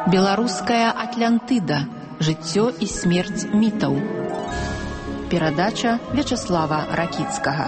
Беларуская Атлантыда. Жыццё і смерць мітаў. Перадача Вячаслава Ракіцкага.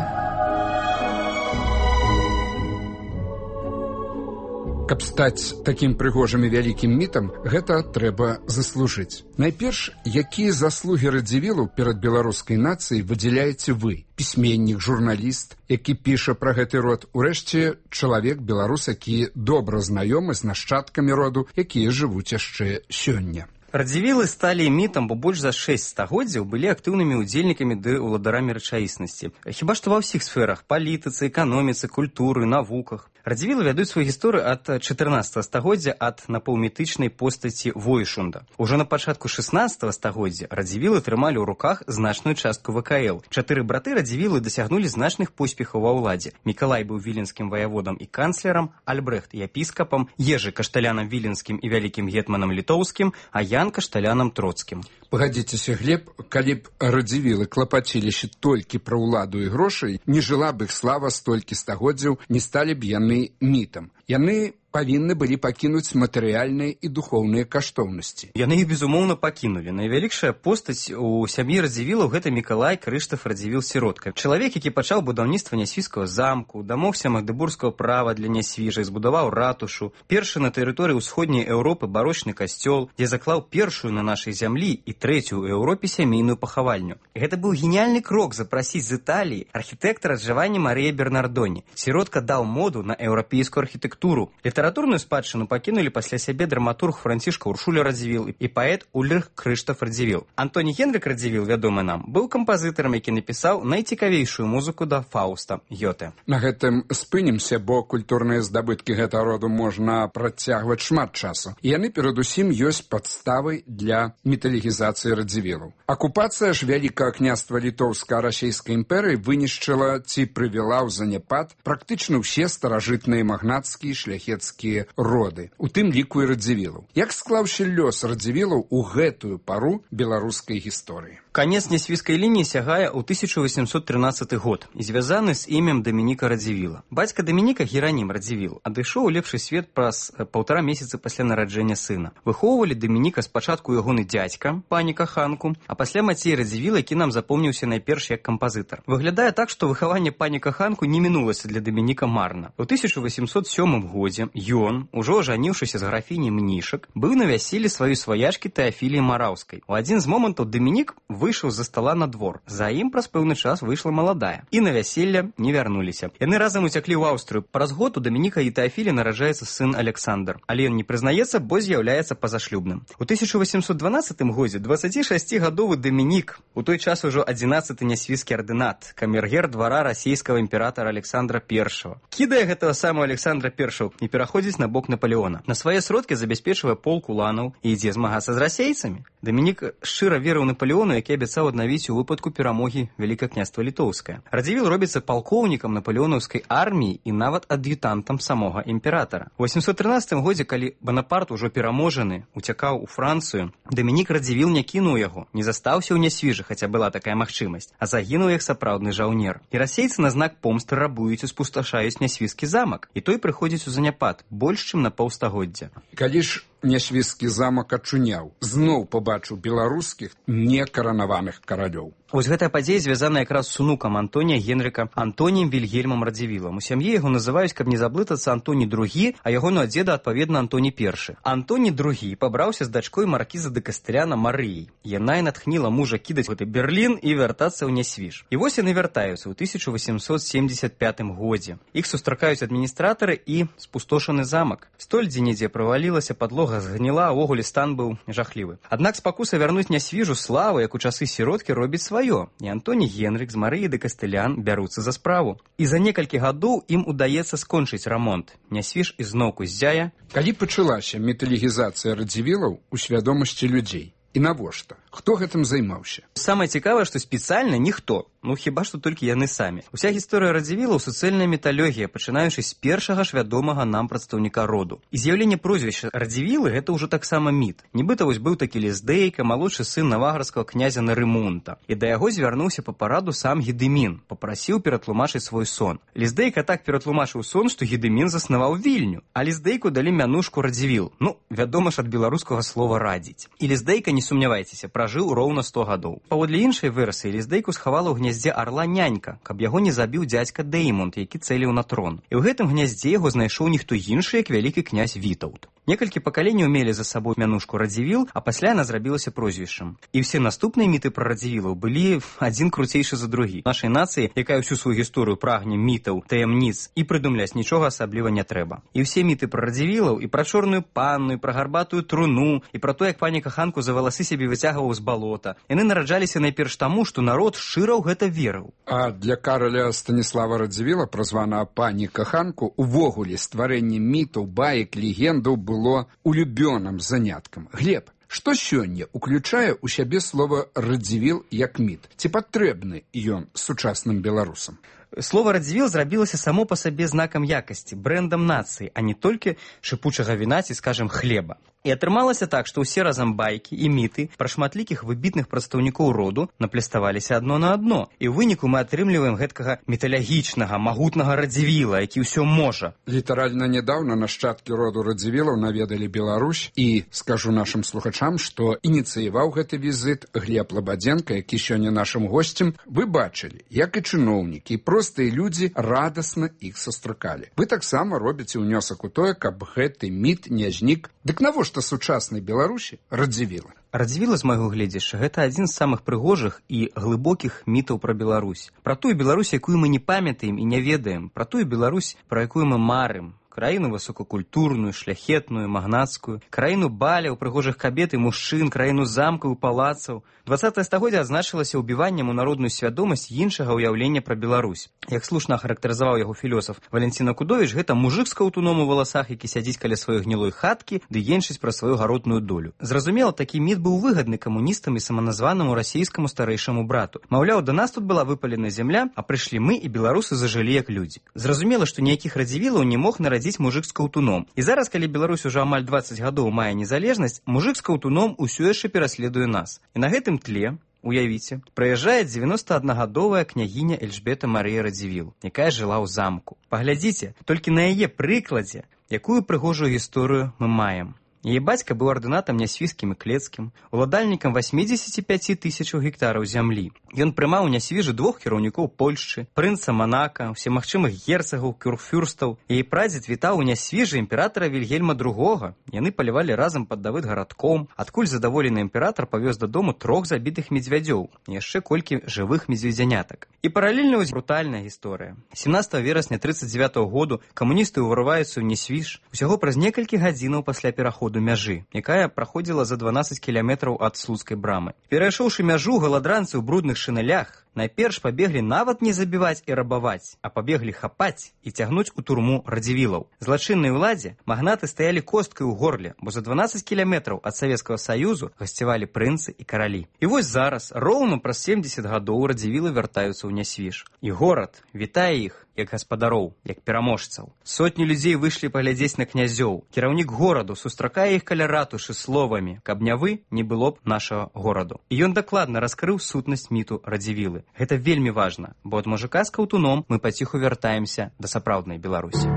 Каб стаць такім прыгожым і вялікім мітам, гэта трэба заслужыць. Найперш, якія заслугі Радзівілу перад беларускай нацыяй выдзяляеце вы, пісьменнік, журналіст, які піша пра гэты род, урэшце чалавек беларус, які добра знаёмы з нашчадкамі роду, якія жывуць яшчэ сёння. Радзівілы сталі мітам, бо больш за 6 стагоддзяў былі актыўнымі ўдзельнікамі ды ўладарамі рэчаіснасці. Хіба што ва ўсіх сферах: палітыцы, эканоміцы, культуры, навуках. Радзівілы вядуць сваю гісторыю ад 14 стагоддзя ад напаўмітычнай постаці Войшунда. Ужо на пачатку 16 стагоддзя Радзівілы трымалі ў руках значную частку ВКЛ. 4 браты Радзівілы дасягнулі значных поспехаў ва ўладзе. Мікалай быў віленскім ваяводам і канцлерам, Альбрэхт епіскапам, Ежы кашталянам віленскім і вялікім гетманам літоўскім, а Ян кашталянам троцкім. Пагадзіцеся, Глеб, калі б Радзівілы клапаціліся толькі пра ўладу і грошай, не жыла б іх слава столькі стагоддзяў, не сталі б яны мітам. Яны павінны былі пакінуць матэрыяльныя і духоўныя каштоўнасці. Яны іх, безумоўна, пакінулі. Найвялікшая постаць у сям'і Радзівілаў — гэта Мікалай Крыштаф Радзівіл-сіротка. Чалавек, які пачаў будаўніцтва Нясвіжскага замку, дамогся магдыбургскага права для Нясвіжа, збудаваў ратушу, першы на тэрыторыі ўсходняй Еўропы барочны касцёл, дзе заклаў першую на нашай зямлі і трэцюю ў Еўропе сямейную пахавальню. Гэта быў геніяльны крок запрасіць з Італіі архітэктара Джаванні Марыя Бернардоні. Сіротка даў моду на еўрапейскую архітэктуру. Літаратурную спадчыну пакінулі пасля сябе драматург Францішка Уршуля Радзівіл і паэт Ульрых Крыштаф Радзівіл. Антоні Генрык Радзівіл, вядомы нам, быў кампазітарам, які напісаў найцікавейшую музыку да Фауста Гёте. На гэтым спынімся, бо культурныя здабыткі гэтага роду можна працягваць шмат часу. І яны перадусім ёсць падставай для міталогізацыі Радзівілаў. Акупацыя ж Вялікага княства Літоўска-Расейскай імперыі вынішчыла ці прывяла ў заняпад практычна ўсе старажытныя магнацкія шляхецкія роды, у тым ліку і Радзівілаў. Як склаўся лёс Радзівілаў у гэтую пару беларускай гісторыі? Канец нясвіжскай лініі сягае ў 1813 год і звязаны з імем Дамініка Радзівіла. Бацька Дамініка, Геранім Радзівіл, адышоў у лепшы свет праз 1,5 месяцы пасля нараджэння сына. Выхоўвалі Дамініка спачатку ягоны дзядзька, паніка Ханку, а пасля Мацей Радзівіла, які нам запомніўся найперш як кампазітар. Выглядае так, што выхаванне паніка Ханку не мінулася для Дамініка марна. У 1807 годзе ён, ужо ажаніўшыся з графіняй Мнішак, быў на вяселлі сваёй сваячкі Тэафіліі Мараўскай. У адзін з момантаў Дамінік выйшаў за стала на двор. За ім праз пэўны час выйшла маладая. І на вяселле не вярнуліся. Яны разам уцяклі ў Аўстрыю. Праз год у Дамініка і Тэафілі нараджаецца сын Александр. Але ён не прызнаецца, бо з'яўляецца пазашлюбным. У 1812 годзе 26-гадовы Дамінік, у той час ужо 11-й нясвіжскі ардынат, камергер двара расійскага імператара Александра I, кідае гэтага самого Александра I і пераходзіць на бок Наполеона. На свае сродкі забяспечвае полк уланаў і ідзе змагацца з расейцамі. Дамінік шчыра верыў Наполеону, які абяцаў аднавіць у выпадку перамогі Вялікае княства Літоўскае. Радзівіл робіцца палкоўнікам напалеонаўскай арміі і нават ад'ютантам самога імператара. У 813 годзе, калі Банапарт, ужо пераможаны, уцякаў у Францыю, Дамінік Радзівіл не кінуў яго, не застаўся ў Нясвіжы, хаця была такая магчымасць, а загінуў як сапраўдны жаўнер. І расейцы на знак помсты рабуюць і спусташаюць Нясвіжскі замак, і той прыходзіць у заняпад больш чым на паўстагоддзя. Калі ж Нясвіжскі замак ачуняў, зноў пабачыў беларускіх некаранаваных каралёў. Вось гэтая падзея звязана якраз з унукам Антонія Генрыка, Антоніем Вільгельмам Радзівілам. У сям'і яго называюць, каб не заблытацца, Антоні II, а ягоного дзеда, адпаведна, Антоні I. Антоні II пабраўся з дачкой маркіза дэ Кастыляна Марыяй. Яна і натхніла мужа кідаць гэты Берлін і вяртацца ў Нясвіж. І вось яны вяртаюцца ў 1875 годзе. Іх сустракаюць адміністратары і спустошаны замак. Столь дзе-нідзе правалілася, падлога згніла, а ўвогуле стан быў жахлівы. Аднак спакуса вярнуць Нясвіжу славу, як у часы сіроткі, робіць сваё. І Антоні Генрык з Марыяй дэ Кастылян бяруцца за справу. І за некалькі гадоў ім удаецца скончыць рамонт. Нясвіж ізноўку ззяе. Калі пачалася міталогізацыя Радзівілаў у свядомасці людзей? І навошта? Хто гэтым займаўся? Самае цікавае, што спецыяльна ніхто. Хіба што толькі яны самі. Уся гісторыя радзівілаў — суцэльная міталогія, пачынаючы з першага ж вядомага нам прадстаўніка роду. І з'яўленне прозвішча Радзівілы — гэта ўжо таксама міт. Нібыта быў такі Ліздейка, малодшы сын навагарскага князя Нарымунта. І да яго звярнуўся па параду сам Гедымін, папрасіў ператлумачыць свой сон. Ліздейка так ператлумачыў сон, што Гедымін заснаваў Вільню, а Ліздейку далі мянушку Радзівіл. Вядома ж, ад беларускага слова радзіць. І Ліздейка, не сумнявайцеся, пражыў роўна 100 гадоў. Паводле іншай версіі, Ліздейку схавала ў гняздзе арла нянька, каб яго не забіў дзядзька Дэймунд, які цэліў на трон. І ў гэтым гняздзе яго знайшоў ніхто іншы, як вялікі князь Вітаўт. Некалькі пакаленняў мелі за сабой мянушку Радзівіл, а пасля яна зрабілася прозвішчам. І ўсе наступныя міты пра радзівілаў былі адзін круцейшы за другі. Нашай нацыі, якая ўсю сваю гісторыю прагне мітаў, таямніц, і прыдумляць нічога асабліва не трэба. І ўсе міты пра радзівілаў, і пра чорную панну, і пра гарбатую труну, і пра то, як пані каханку за валасы сябе выцягваў з балота, яны нараджаліся найперш таму, што народ шчыра ў гэта верыў. А для караля Станіслава Радзівіла, празванага пані каханку, увогуле стварэнне мітаў, баек, легендаў было улюбёным заняткам. Глеб, што сёння уключае ў сябе слова «радзівіл» як міт? Ці патрэбны ён сучасным беларусам? Слова «радзівіл» зрабілася само па сабе знакам якасці, брэндам нацыі, а не толькі шыпучага віна ці, скажем, хлеба. І атрымалася так, што ўсе разам байкі і міты пра шматлікіх выбітных прадстаўнікоў роду напляставаліся адно на адно. І ў выніку мы атрымліваем гэткага міталагічнага, магутнага Радзівіла, які ўсё можа. Літаральна нядаўна нашчадкі роду Радзівілаў наведалі Беларусь, і скажу нашым слухачам, што ініцыяваў гэты візіт Глеб Лабадзенка, які сёння нашым госцем. Вы бачылі, як і чыноўнікі, і простыя людзі радасна іх сустракалі. Вы таксама робіце ўнёсак у тое, каб гэты міт не знік. Дык навошта сучаснай Беларусі Радзівіла? Радзівіла, з майго гледзяшча, гэта адзін з самых прыгожых і глыбокіх мітаў пра Беларусь. Пра тую Беларусь, якую мы не памятаем і не ведаем, пра тую Беларусь, пра якую мы марым. Краіну высокакультурную, шляхетную, магнацкую, краіну баляў, прыгожых кабет і мужчын, краіну замкаў і палацаў. 20-е стагоддзе адзначылася ўбіваннем у народную свядомасць іншага ўяўлення пра Беларусь. Як слушна ахарактарызаваў яго філёсаф Валенціна Кудовіч, гэта мужык з каўтуном у валасах, які сядзіць каля сваёй гнілой хаткі ды енчыць пра сваю гаротную долю. Зразумела, такі міт быў выгадны камуністам і саманазванаму расійскаму старэйшаму брату. Маўляў, да нас тут была выпалена зямля, а прыйшлі мы, і беларусы зажылі як людзі. Зразумела, што ніякіх радзівілаў не мог нарадзіць мужык з каўтуном. І зараз, калі Беларусь ужо амаль 20 гадоў мае незалежнасць, мужык з каўтуном усё яшчэ пераследуе нас. І на гэтым тле, уявіце, прыязджае 91-гадовая княгіня Эльжбета Марыя Радзівіл, якая жыла ў замку. Паглядзіце, толькі на яе прыкладзе, якую прыгожую гісторыю мы маем. Яе бацька быў ардынатам нясвіжскім і клецкім, уладальнікам 85 тысячаў гектараў зямлі. Ён прымаў у нясвіжы 2 кіраўнікоў Польшчы, прынца Манака, усемагчымых герцагаў, кюрфюрстаў. Яе прадзед вітаў у нясвіжы імператара Вільгельма II. Яны палявалі разам пад Давыд-гарадком, адкуль задаволены імператар павёз дадому 3 забітых медзвядзёў, яшчэ колькі жывых медзведзянятак. І паралельна вось брутальная гісторыя. 17 верасня 1939 году камуністы ўварываюцца ў Нясвіж усяго праз некалькі гадзінаў пасля пераходу мяжы, якая праходзіла за 12 кіламетраў ад Слуцкай брамы. Перайшоўшы мяжу, галадранцы ў брудных шынелях найперш пабеглі нават не забіваць і рабаваць, а пабеглі хапаць і цягнуць у турму радзівілаў. Злачыннай уладзе магнаты стаялі косткай у горле, бо за 12 кіламетраў ад Савецкага Саюзу гасцявалі прынцы і каралі. І вось зараз, роўна праз 70 гадоў радзівілы вяртаюцца ў Нясвіж. І горад вітае іх як гаспадароў, як пераможцаў. Сотні людзей выйшлі паглядзець на князёў. Кіраўнік гораду сустракае іх каля ратушы словамі: «Каб не вы, не было б нашага гораду». І ён дакладна раскрыў сутнасць міту Радзівілы. Гэта вельмі важна, бо ад мужыка з каўтуном мы паціху вяртаемся да сапраўднай Беларусі.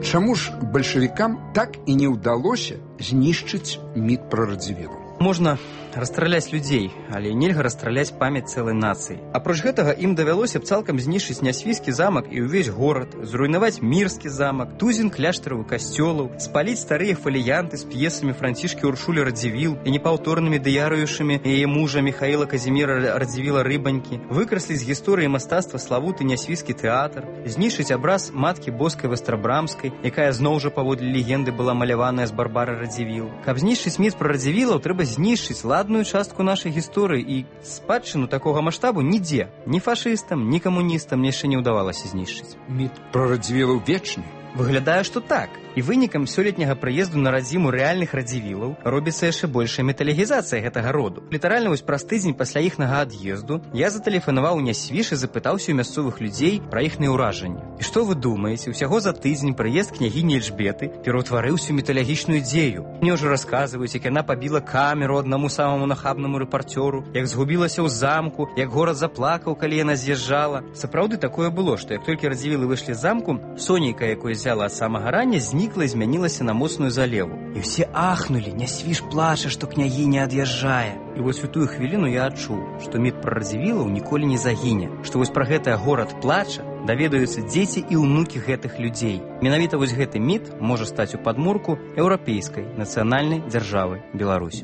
Чаму ж бальшавікам так і не ўдалося знішчыць міт пра Радзівілу? Можна расстраляць людзей, але нельга расстраляць памяць цэлай нацыі. Апроч гэтага ім давялося б цалкам знішчыць Нясвіжскі замак і ўвесь горад, зруйнаваць Мірскі замак, тузін кляштараў і касцёлаў, спаліць старыя фаліянты з п'есамі Францішкі Уршулі Радзівіл і непаўторнымі дыярыюшамі яе мужа Міхаіла Казіміра Радзівіла Рыбанькі, выкрасліць з гісторыі мастацтва славуты Нясвіжскі тэатр, знішчыць абраз маткі Боскай Вастрабрамскай, якая зноў жа паводле легенды была маляваная з Барбары Радзівіл. Каб знішчыць міт пра радзівілаў, трэба знішчыць ладную частку нашай гісторыі, і спадчыну такога маштабу нідзе, ні фашыстам, ні камуністам яшчэ не ўдавалася знішчыць. Міт пра Радзівілаў вечны. Выглядае, што так. І вынікам сёлетняга прыезду на радзіму рэальных радзівілаў робіцца яшчэ большая металігізацыя гэтага роду. Літаральна вось праз тыдзень пасля іхнага ад'езду я затэлефанаваў у Нясвіж і запытаўся ў мясцовых людзей пра іхныя ўражанні. І што вы думаеце, усяго за тыдзень прыезд княгіні Эльжбеты пераўтварыўся ў міталагічную дзею. Мне ўжо расказваюць, як яна пабіла камеру аднаму самаму нахабнаму рэпарцёру, як згубілася ў замку, як горад заплакаў, калі яна з'язджала. Сапраўды такое было, што як толькі радзівілы выйшлі з замку, сонейка, якое зяла ад самага рання, знікла і змянілася на моцную залеву. І ўсе ахнулі, Нясвіж плача, што княгіня ад'язджае. І вось у тую хвіліну я адчуў, што міт пра радзівілаў ніколі не загіне, што вось пра гэтае горад плача даведаюцца дзеці і ўнукі гэтых людзей. Менавіта вось гэты міт можа стаць у падмурку еўрапейскай нацыянальнай дзяржавы Беларусь.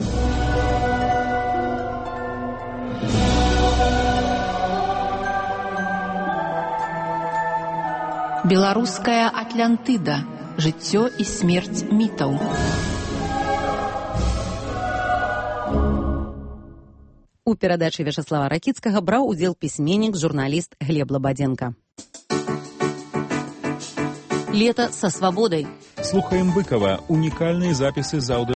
Беларуская Атлантыда. Жыццё і смерць мітаў. У перадачы Вячаслава Ракіцкага браў удзел пісьменнік, журналіст Глеб Лабадзенко. Лето со свободой. Слухаем Быкова. Уникальные записи з